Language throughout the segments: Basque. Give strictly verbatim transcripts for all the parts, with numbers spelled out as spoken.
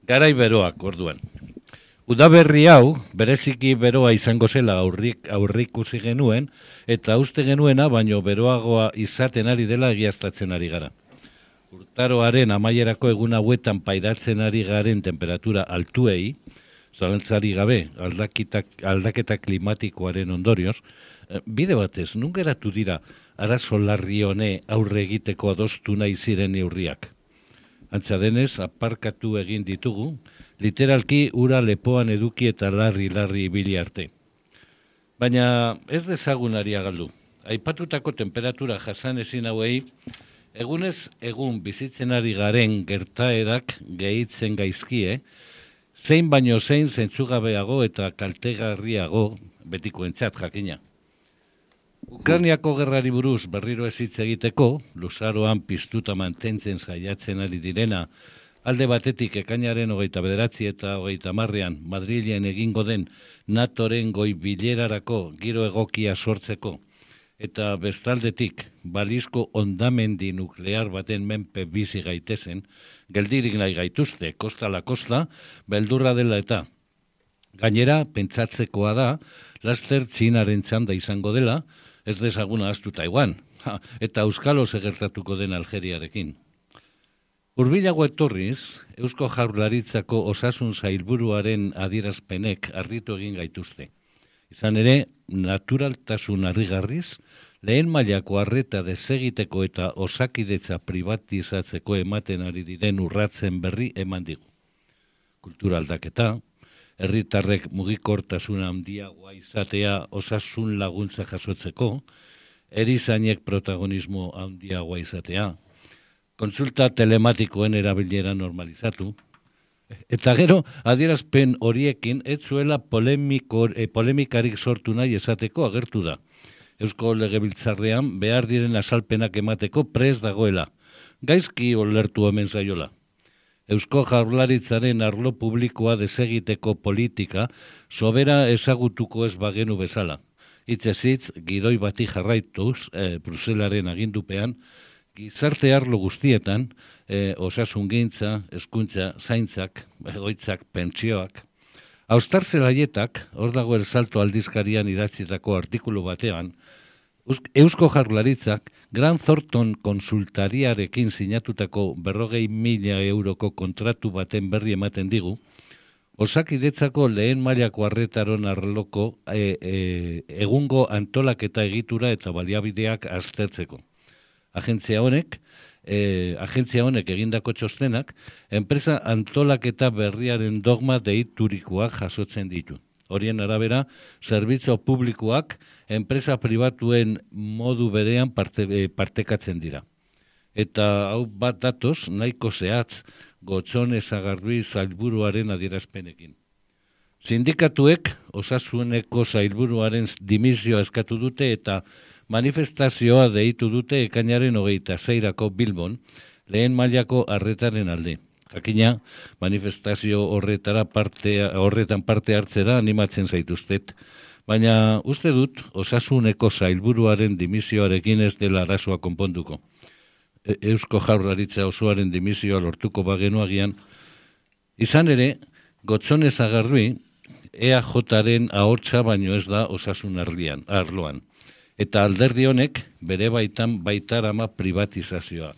Garai beroak orduan. Udaberri hau, bereziki beroa izango zela aurrik aurrikusi genuen, eta uste genuena, baino beroagoa izaten ari dela egiaztatzen ari gara. Urtaroaren amaierako egun hauetan pairatzen ari garen temperatura altuei, zalantzari gabe, aldaketak, aldaketa klimatikoaren ondorioz, bide batez, nun geratu dira arazo larri hone aurre egiteko adostu nahi ziren neurriak. Antza denez, aparkatu egin ditugu, literalki ura lepoan eduki eta larri-larri ibili arte. Baina ez dezagunari galdu. Aipatutako temperatura jasan ezin hauei, egunez egun bizitzen ari garen gertaerak gehitzen gaizkie, zein baino zein zentzugabeago eta kaltegarriago betikoentzat jakina. Ukrainiako gerrari buruz berriro ez hitz egiteko, luzaroan piztuta mantentzen saiatzen ari direna, alde batetik ekainaren hogeita bederatzi eta hogeita marrean Madrilen egingo den natoren goi bilerarako giro egokia sortzeko, eta bestaldetik balizko ondamendi nuklear baten menpe bizi gaitezen, geldirik nahi gaituzte, kosta la kosta, beldurra dela eta. Gainera, pentsatzekoa da, laster Txinaren txanda izango dela, ez dezaguna ahaztu Taiwan, eta Euskalo segertatuko den Algeriarekin. Hurbilago etorriz, Eusko Jaurlaritzako osasun sailburuaren adierazpenek harritu egin gaituzte. Izan ere, naturaltasun harrigarriz, lehen mailako arreta desegiteko eta osakidetza privatizatzeko ematen ari diren urratzen berri eman digu. Kultura aldaketa, herritarrek mugikortasuna handiagoa izatea osasun laguntza jasotzeko, erizainek protagonismo handiagoa izatea, kontsulta telematikoen erabilera normalizatu, eta gero, adierazpen horiekin ez zuela polemiko, e, polemikarik sortu nahi esateko agertu da. Eusko Legebiltzarrean behar diren azalpenak emateko prest dagoela. Gaizki olertu omen zaiola. Eusko Jaurlaritzaren arlo publikoa desegiteko politika sobera ezagutuko ez bagenu bezala. Hitzez hitz, gidoi bati jarraituz, e, Bruselaren agindupean, gizarte arlo guztietan, e, osasungintza, hezkuntza, zaintzak, egoitzak, pentsioak. Austar zelaietak, hor dago El Salto aldizkarian idatzitako artikulu batean, Eusko Jaurlaritzak Grant Thornton konsultariarekin sinatutako berrogei mila euroko kontratu baten berri ematen digu, osakidetzako lehen mailako arretaron arloko e, e, egungo antolaketa egitura eta baliabideak aztertzeko. Agentzia honek, e, agentzia honek egindako txostenak, enpresa antolaketa berriaren dogma deiturikoak jasotzen ditu. Horien arabera, zerbitzu publikoak enpresa pribatuen modu berean parte, e, partekatzen dira. Eta hau bat datoz, nahiko zehatz, Gotzone Sagardui sailburuaren adierazpenekin. Sindikatuek osasuneko sailburuaren dimisioa eskatu dute eta manifestazioa deitu dute ekainaren hogeita seirako Bilbon, lehen mailako arretaren alde. Jakina, manifestazio horretara parte, horretan parte hartzera animatzen zaituztet, baina uste dut osasuneko sailburuaren dimisioarekin ez dela arazoa konponduko. E- Eusko Jaurlaritza osoaren dimisioa lortuko bagenuagian, izan ere, Gotzone Sagardui E A Jaren ahotsa baino ez da osasun arlian, arloan, eta alderdi honek bere baitan baitarama privatizazioa.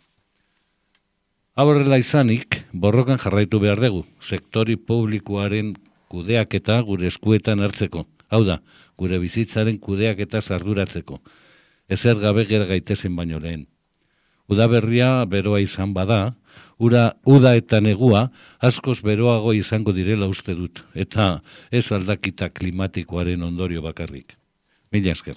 Horrela izanik, borrokan jarraitu behar dugu, sektori publikoaren kudeaketa gure eskuetan hartzeko. Hau da, gure bizitzaren kudeaketa arduratzeko. Ezer gabe gera gaitezen baino lehen. Udaberria beroa izan bada, ura, uda eta negua askoz beroago izango direla uste dut, eta ez aldakita klimatikoaren ondorio bakarrik. Mila esker.